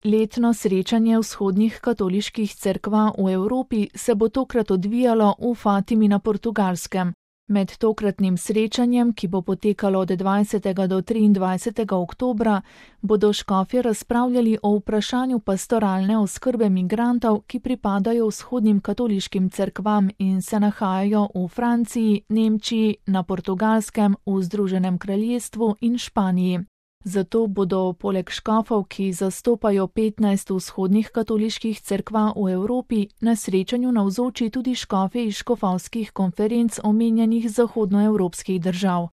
Letno srečanje vzhodnih katoliških cerkva v Evropi se bo tokrat odvijalo v Fatimi na Portugalskem. Med tokratnim srečanjem, ki bo potekalo od 20. do 23. oktobra, bodo škofje razpravljali o vprašanju pastoralne oskrbe migrantov, ki pripadajo vzhodnim katoliškim cerkvam in se nahajajo v Franciji, Nemčiji, na Portugalskem, v Združenem kraljestvu in Španiji. Zato bodo poleg škofov, ki zastopajo 15 vzhodnih katoliških cerkva v Evropi, na srečanju navzoči tudi škofje iz škofovskih konferenc omenjenih zahodnoevropskih držav.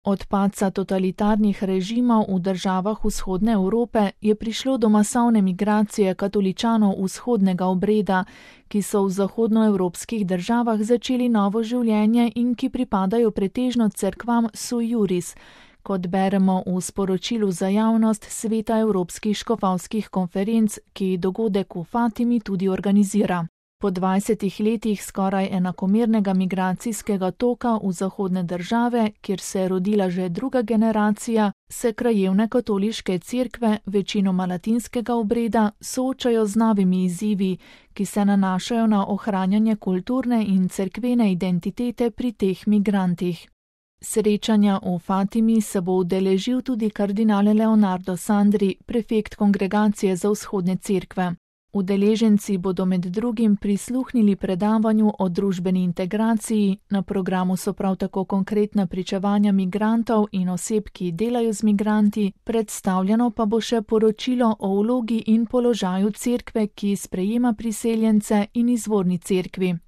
Od padca totalitarnih režimov v državah vzhodne Evrope je prišlo do masovne migracije katoličanov vzhodnega obreda, ki so v zahodnoevropskih državah začeli novo življenje in ki pripadajo pretežno cerkvam sui juris, kot beremo v sporočilu za javnost Sveta evropskih škofovskih konferenc, ki dogodek v Fatimi tudi organizira. Po 20 letih skoraj enakomernega migracijskega toka v zahodne države, kjer se je rodila že druga generacija, se krajevne katoliške cerkve, večinoma latinskega obreda, soočajo z novimi izzivi, ki se nanašajo na ohranjanje kulturne in cerkvene identitete pri teh migrantih. Srečanja v Fatimi se bo udeležil tudi kardinal Leonardo Sandri, prefekt Kongregacije za vzhodne cerkve. Udeleženci bodo med drugim prisluhnili predavanju o družbeni integraciji, na programu so prav tako konkretna pričevanja migrantov in oseb, ki delajo z migranti, predstavljeno pa bo še poročilo o vlogi in položaju cerkve, ki sprejema priseljence, in izvorni cerkvi.